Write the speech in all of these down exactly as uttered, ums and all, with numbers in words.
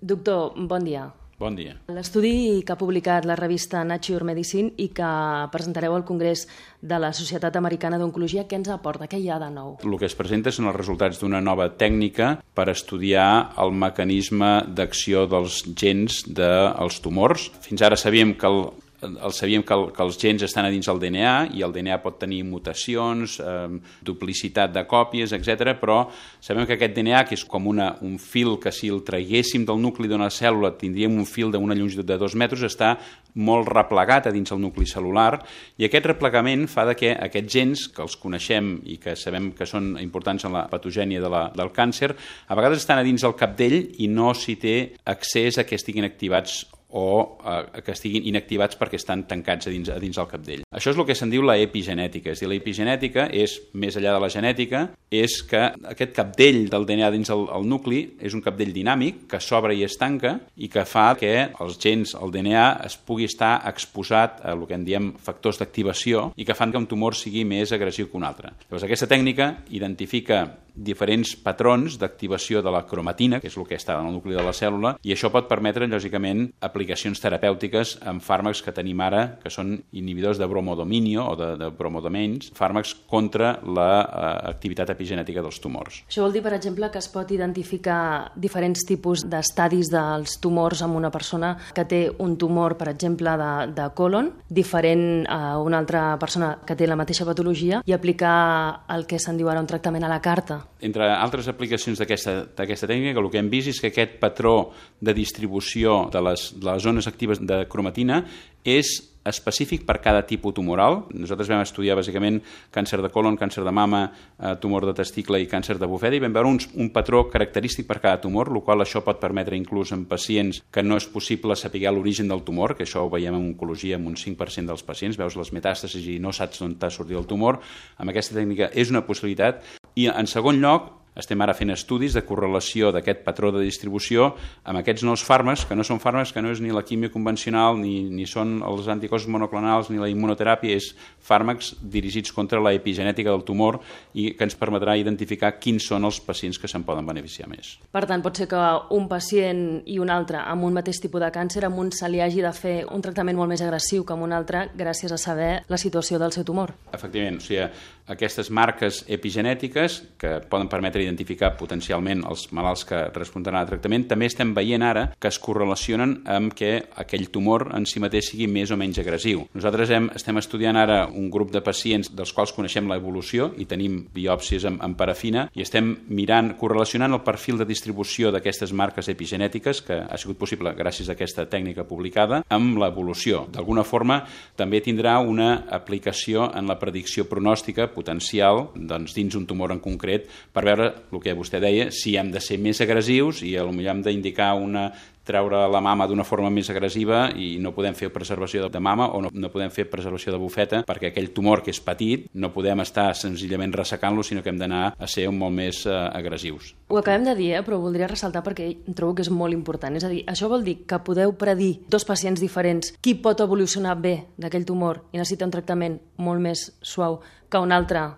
Doctor, bon dia. Bon dia. L'estudi que ha publicat la revista Nature Medicine i que presentareu al Congrés de la Societat Americana d'Oncologia, què ens aporta? Què hi ha de nou? El que es presenta són els resultats d'una nova tècnica per estudiar el mecanisme d'acció dels gens dels tumors. Fins ara sabíem que el El sabíem que, el, que els gens estan a dins del D N A i el D N A pot tenir mutacions, eh, duplicitat de còpies, etcètera, però sabem que aquest D N A, que és com una, un fil que si el traguéssim del nucli d'una cèl·lula tindríem un fil d'una longitud de dos metres, està molt replegat a dins el nucli cel·lular i aquest replegament fa de que aquests gens, que els coneixem i que sabem que són importants en la patogènia de la, del càncer, a vegades estan a dins del capdell i no s'hi té accés a que estiguin activats o eh, que estiguin inactivats perquè estan tancats a dins, a dins del capdell. Això és el que se'n diu la epigenètica. És a dir, la epigenètica és, més enllà de la genètica, és que aquest capdell del D N A dins el, el nucli és un capdell dinàmic que s'obre i es tanca i que fa que els gens, el D N A, es pugui estar exposat a el que en diem factors d'activació i que fan que un tumor sigui més agressiu que un altre. Llavors, aquesta tècnica identifica diferents patrons d'activació de la cromatina, que és el que està en el nucli de la cèl·lula, i això pot permetre, lògicament, aplicacions terapèutiques amb fàrmacs que tenim ara, que són inhibidors de bromodominio o de, de bromodomains, fàrmacs contra l'activitat uh, epigenètica dels tumors. Això vol dir, per exemple, que es pot identificar diferents tipus d'estadis dels tumors en una persona que té un tumor, per exemple, de, de colon, diferent a una altra persona que té la mateixa patologia, i aplicar el que se'n diu ara un tractament a la carta. Entre altres aplicacions d'aquesta tècnica, el que hem vist és que aquest patró de distribució de les, de les zones actives de cromatina és específic per cada tipus tumoral. Nosaltres vam estudiar bàsicament càncer de colon, càncer de mama, eh, tumor de testicle i càncer de bufeta i vam veure un, un patró característic per cada tumor, el qual això pot permetre inclús en pacients que no és possible saber l'origen del tumor, que això ho veiem en oncologia amb un cinc per cent dels pacients, veus les metàstasis i no saps on t'ha sortit el tumor. Amb aquesta tècnica és una possibilitat. I en segon lloc, estem ara fent estudis de correlació d'aquest patró de distribució amb aquests nous fàrmacs, que no són fàrmacs, que no és ni la químia convencional, ni, ni són els anticossos monoclonals, ni la immunoteràpia, és fàrmacs dirigits contra la epigenètica del tumor i que ens permetrà identificar quins són els pacients que se'n poden beneficiar més. Per tant, pot ser que un pacient i un altre amb un mateix tipus de càncer, amb un se li hagi de fer un tractament molt més agressiu que amb un altre gràcies a saber la situació del seu tumor. Efectivament, o sigui, aquestes marques epigenètiques que poden permetre identificar potencialment els malalts que respondran al tractament, també estem veient ara que es correlacionen amb que aquell tumor en si mateix sigui més o menys agressiu. Nosaltres hem, estem estudiant ara un grup de pacients dels quals coneixem l'evolució i tenim biòpsies amb, amb parafina i estem mirant, correlacionant el perfil de distribució d'aquestes marques epigenètiques, que ha sigut possible gràcies a aquesta tècnica publicada, amb l'evolució. D'alguna forma també tindrà una aplicació en la predicció pronòstica potencial doncs, dins un tumor en concret per veure el que vostè deia, si hem de ser més agressius i potser hem d'indicar una treure la mama d'una forma més agressiva i no podem fer preservació de mama o no, no podem fer preservació de bufeta perquè aquell tumor que és petit no podem estar senzillament ressecant-lo, sinó que hem d'anar a ser molt més eh, agressius. Ho acabem de dir, eh, però voldria ressaltar perquè trobo que és molt important. És a dir, això vol dir que podeu predir dos pacients diferents qui pot evolucionar bé d'aquell tumor i necessita un tractament molt més suau que un altre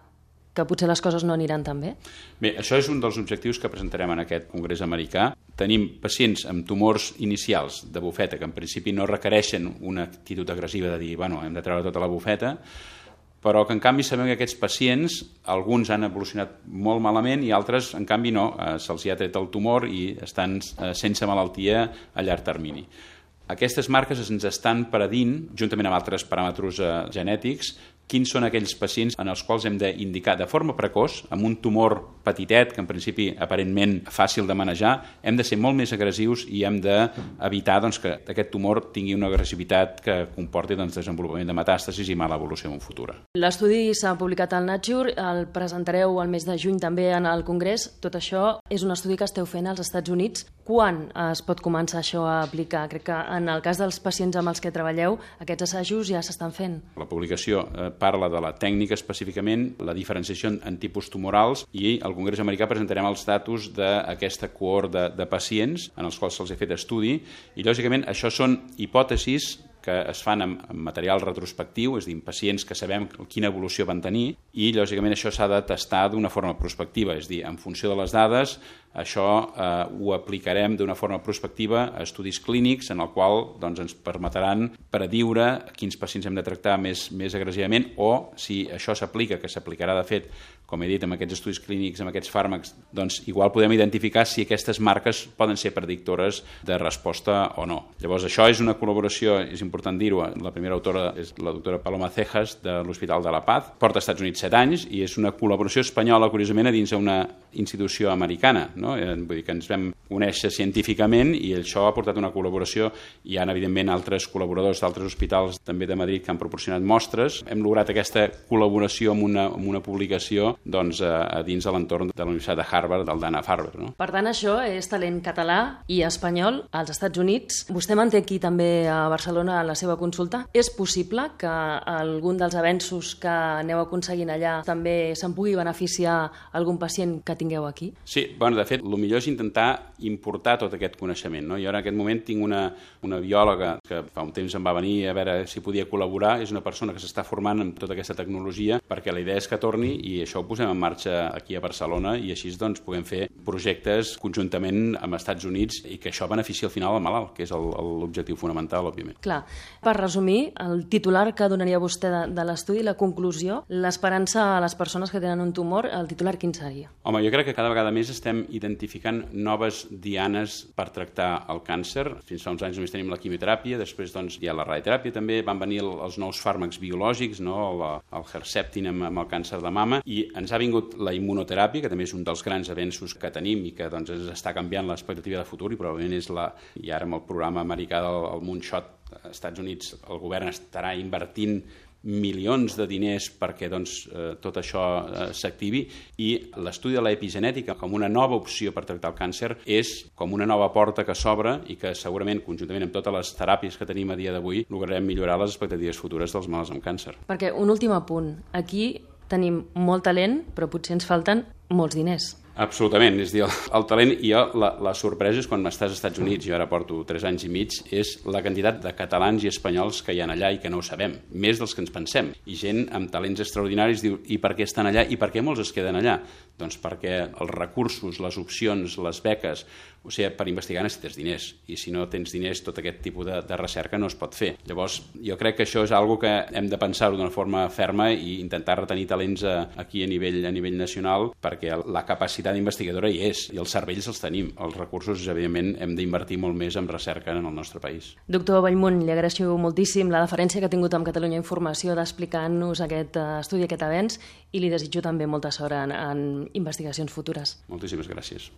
que potser les coses no aniran tan bé? Bé, això és un dels objectius que presentarem en aquest congrés americà. Tenim pacients amb tumors inicials de bufeta que en principi no requereixen una actitud agressiva de dir, bueno, hem de treure tota la bufeta, però que en canvi sabem que aquests pacients, alguns han evolucionat molt malament i altres, en canvi, no. Eh, se'ls ha tret el tumor i estan eh, sense malaltia a llarg termini. Aquestes marques ens estan predint, juntament amb altres paràmetres eh, genètics, quins són aquells pacients en els quals hem d'indicar de forma precoç, amb un tumor petitet, que en principi aparentment fàcil de manejar, hem de ser molt més agressius i hem d'evitar doncs, que aquest tumor tingui una agressivitat que comporti doncs, desenvolupament de metàstasis i mala evolució en un futur. L'estudi s'ha publicat al Nature, el presentareu el mes de juny també en el Congrés. Tot això és un estudi que esteu fent als Estats Units. Quan es pot començar això a aplicar? Crec que en el cas dels pacients amb els que treballeu, aquests assajos ja s'estan fent. La publicació eh, parla de la tècnica específicament, la diferenciació en tipus tumorals i al Congrés americà presentarem els datos d'aquesta cohort de, de pacients en els quals se'ls ha fet estudi i lògicament això són hipòtesis que es fan amb material retrospectiu, és a dir, pacients que sabem quina evolució van tenir, i lògicament això s'ha de testar d'una forma prospectiva, és a dir, en funció de les dades, això eh, ho aplicarem d'una forma prospectiva a estudis clínics en el qual doncs, ens permetran prediure quins pacients hem de tractar més, més agressivament, o si això s'aplica, que s'aplicarà de fet, com he dit, amb aquests estudis clínics, amb aquests fàrmacs, doncs igual podem identificar si aquestes marques poden ser predictores de resposta o no. Llavors, això és una col·laboració, és important dir-ho, la primera autora és la doctora Paloma Cejas, de l'Hospital de la Paz, porta als Estats Units set anys, i és una col·laboració espanyola, curiosament, a dins d'una institució americana, no? Vull dir que ens vam conèixer científicament i això ha portat una col·laboració. Hi ha, evidentment, altres col·laboradors d'altres hospitals, també de Madrid, que han proporcionat mostres. Hem lograt aquesta col·laboració amb una, amb una publicació doncs, a, a dins de l'entorn de la Universitat de Harvard, del Dana-Farber. No? Per tant, això és talent català i espanyol als Estats Units. Vostè manté aquí també a Barcelona la seva consulta. És possible que algun dels avenços que aneu aconseguint allà també se'n pugui beneficiar algun pacient que tingueu aquí? Sí, bueno, de fet, el millor és intentar importar tot aquest coneixement. No? Jo en aquest moment tinc una, una biòloga que fa un temps em va venir a veure si podia col·laborar. És una persona que s'està formant en tota aquesta tecnologia, perquè la idea és que torni i això ho posem en marxa aquí a Barcelona i així doncs puguem fer projectes conjuntament amb Estats Units i que això benefici al final al malalt, que és l'objectiu fonamental, òbviament. Clar. Per resumir, el titular que donaria vostè de, de l'estudi, la conclusió, l'esperança a les persones que tenen un tumor, el titular quin seria? Home, jo crec que cada vegada més estem identificant noves dianes per tractar el càncer. Fins fa uns anys només tenim la quimioteràpia, després doncs, hi ha la radioteràpia també, van venir el, els nous fàrmacs biològics, no? el, el Herceptin amb, amb el càncer de mama, i ens ha vingut la immunoteràpia, que també és un dels grans avenços que tenim i que doncs, ens està canviant l'expectativa de futur, i probablement és la... I ara amb el programa americà del el Moonshot, als Estats Units, el govern estarà invertint milions de diners perquè doncs, eh, tot això eh, s'activi, i l'estudi de l'epigenètica com una nova opció per tractar el càncer és com una nova porta que s'obre i que segurament, conjuntament amb totes les teràpies que tenim a dia d'avui, lograrem millorar les expectatives futures dels malalts amb càncer. Perquè un últim apunt. Aquí tenim molt talent, però potser ens falten molts diners. Absolutament, és a dir, el, el talent, i jo, la, la sorpresa és quan estàs als Estats Units, jo ara porto tres anys i mig, és la quantitat de catalans i espanyols que hi ha allà i que no ho sabem, més dels que ens pensem, i gent amb talents extraordinaris diu, i per què estan allà, i per què molts es queden allà? Doncs perquè els recursos, les opcions, les beques, o sigui, per investigar necessites diners, i si no tens diners, tot aquest tipus de, de recerca no es pot fer. Llavors, jo crec que això és algo que hem de pensar-ho d'una forma ferma i intentar retenir talents a, aquí a nivell, a nivell nacional, perquè la capacitat investigadora hi és, i els cervells els tenim. Els recursos, evidentment, hem d'invertir molt més en recerca en el nostre país. Doctor Bellmunt, li agraeixo moltíssim la deferència que ha tingut amb Catalunya Informació d'explicar-nos aquest estudi, aquest avenç, i li desitjo també molta sort en, en investigacions futures. Moltíssimes gràcies.